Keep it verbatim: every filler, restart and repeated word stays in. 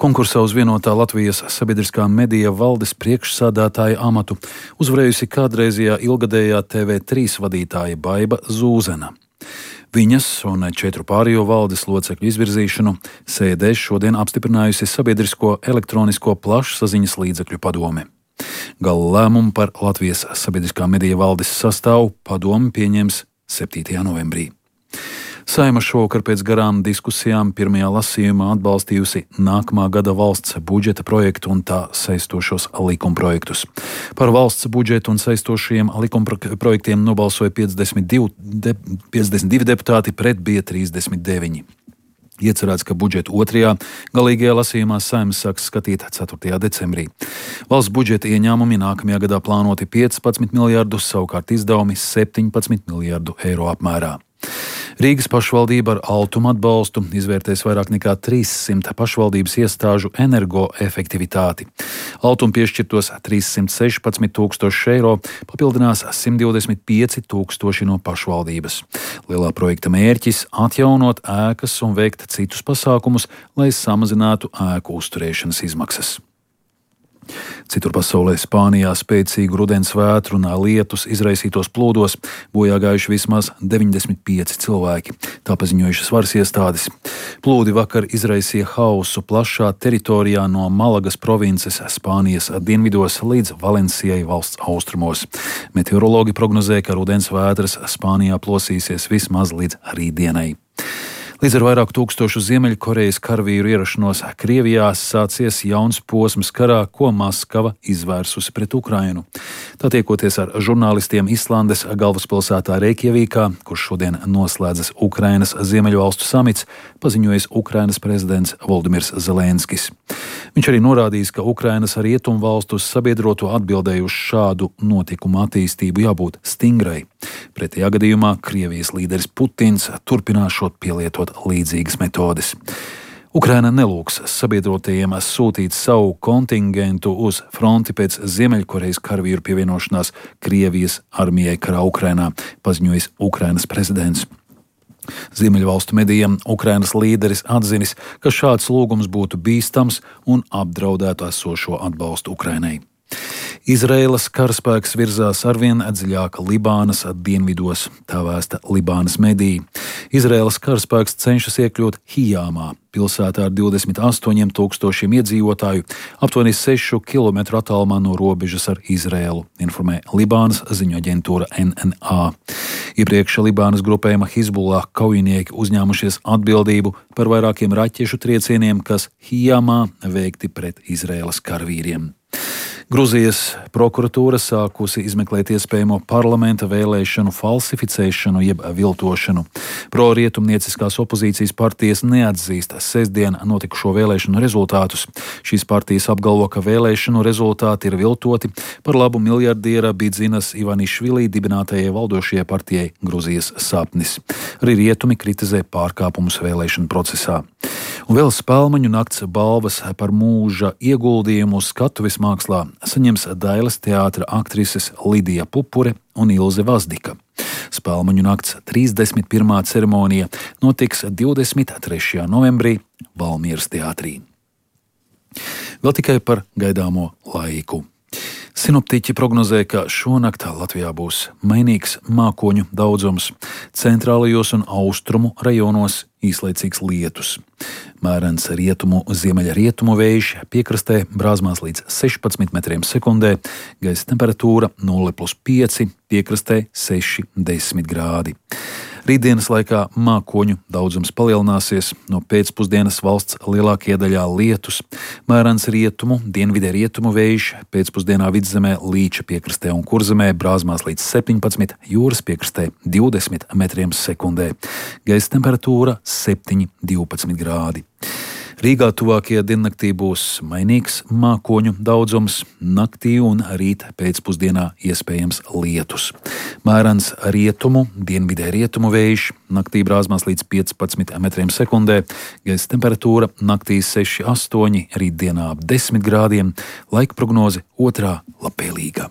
Konkursā uz vienotā Latvijas sabiedriskā medija valdes priekšsādātāja amatu uzvarējusi kādreizējā ilgadējā T V trīs vadītāja Baiba Zūzena. Viņas un četru pārējo valdes locekļu izvirzīšanu sēdē šodien apstiprinājusi Sabiedrisko elektronisko plašsaziņas līdzekļu padome. Gala lēmumu par Latvijas sabiedriskā medija valdes sastāvu padome pieņems septītajā novembrī. Saeima šovakar pēc garām diskusijām pirmajā lasījumā atbalstījusi nākamā gada valsts budžeta projektu un tā saistošos likumprojektus. Par valsts budžetu un saistošajiem likumprojektiem nobalsoja piecdesmit divi, de, piecdesmit divi deputāti, pret bija trīsdesmit deviņi. Iecerēts, ka budžetu otrajā galīgajā lasījumā Saeima sāks skatīt ceturtajā decembrī. Valsts budžeta ieņēmumi nākamajā gadā plānoti piecpadsmit miljardus, savukārt izdevumi septiņpadsmit miljardu eiro apmērā. Rīgas pašvaldība ar Altuma atbalstu izvērtēs vairāk nekā trīssimt pašvaldības iestāžu energoefektivitāti. Altuma piešķirtos trīssimt sešpadsmit tūkstoši eiro papildinās simt divdesmit pieci tūkstoši no pašvaldības. Lielā projekta mērķis - atjaunot ēkas un veikt citus pasākumus, lai samazinātu ēku uzturēšanas izmaksas. Citur pasaulē Spānijā spēcīgu rudens vētru un lietus izraisītos plūdos bojā gājuši vismaz deviņdesmit pieci cilvēki, tā paziņojušas varas iestādes. Plūdi vakar izraisīja hausu plašā teritorijā no Malagas provinces Spānijas dienvidos līdz Valencijai valsts austrumos. Meteorologi prognozē, ka rudens vētras Spānijā plosīsies vismaz līdz rītdienai. Līdz ar vairāk tūkstošu Ziemeļkorejas karavīru ierašanos Krievijā sācies jauns posms karā, ko Maskava izvērsusi pret Ukrainu. Tā tiekoties ar žurnālistiem Islandes galvaspilsētā Reikjavīkā, kurš šodien noslēdzas Ukrainas Ziemeļvalstu samits, paziņojis Ukrainas prezidents Voldimirs Zelenskis. Viņš arī norādījis, ka Ukrainas rietumvalstu sabiedroto atbildēju uz šādu notikumu attīstību jābūt stingrai. Pretējā gadījumā Krievijas līderis Putins turpināšot pielietot līdzīgas metodes. Ukraina nelūgs sabiedrotajiem sūtīt savu kontingentu uz fronti pēc Ziemeļkorejas karavīru pievienošanās Krievijas armijai karā Ukrainā, paziņojis Ukrainas prezidents. Ziemeļvalstu medijiem Ukrainas līderis atzinis, ka šāds lūgums būtu bīstams un apdraudētu esošo atbalstu Ukrainai. Izraēlas karaspēks virzās arvien dziļāk Libānas dienvidos, tā vēsta Libānas mediji. Izraēlas karaspēks cenšas iekļūt Hijāmā, pilsētā ar divdesmit astoņiem tūkstošiem iedzīvotāju, aptuveni sešu kilometru attālumā no robežas ar Izraēlu, informē Libānas ziņu aģentūra N N A. Iepriekš Libānas grupējuma Hizbullah kaujinieki uzņēmušies atbildību par vairākiem raķešu triecieniem, kas Hijāmā veikti pret Izraēlas karavīriem. Gruzijas prokuratūra sākusi izmeklēt iespējamo parlamenta vēlēšanu falsificēšanu jeb viltošanu. Pro-rietumnieciskās opozīcijas partijas neatzīst sestdien notikušo vēlēšanu rezultātus. Šīs partijas apgalvo, ka vēlēšanu rezultāti ir viltoti par labu miljardiera Bidzinas Ivanišvili dibinātajai valdošajai partijai Gruzijas sapnis. Arī rietumi kritizē pārkāpumus vēlēšanu procesā. Un vēl Spēlmaņu nakts balvas par mūža ieguldījumu skatuves mākslā saņems Dailes teātra aktrises Lidija Pupure un Ilze Vazdika. Spēlmaņu nakts trīsdesmit pirmā ceremonija notiks divdesmit trešajā novembrī Valmieras teātrī. Vēl tikai par gaidāmo laiku. Sinoptiķi prognozē, ka šonakt Latvijā būs mainīgs mākoņu daudzums, centrālajos un austrumu rajonos īslaicīgs lietus. Mērens rietumu, ziemeļa rietumu vējš piekrastē brāzmās līdz sešpadsmit metriem sekundē, gaisa temperatūra nulle plus pieci, piekrastē seši desmit grādi. Rītdienas laikā mākoņu daudzums palielināsies, no pēcpusdienas valsts lielākajā daļā lietus, mērens rietumu, dienvidē rietumu vējš, pēcpusdienā vidzemē Līča piekrastē un Kurzemē brāzmās līdz septiņpadsmit, jūras piekrastē divdesmit metriem sekundē. Gaisa temperatūra septiņi divpadsmit grādi. Rīgā tuvākajā diennaktī būs mainīgs mākoņu daudzums, naktī un rīt pēcpusdienā iespējams lietus. Mērens rietumu, dienvidē rietumu vējš, naktī brāzmās līdz piecpadsmit metriem sekundē, gaisa temperatūra naktī seši astoņi, rītdienā ap desmit grādiem, laika prognoze otrā labvēlīga.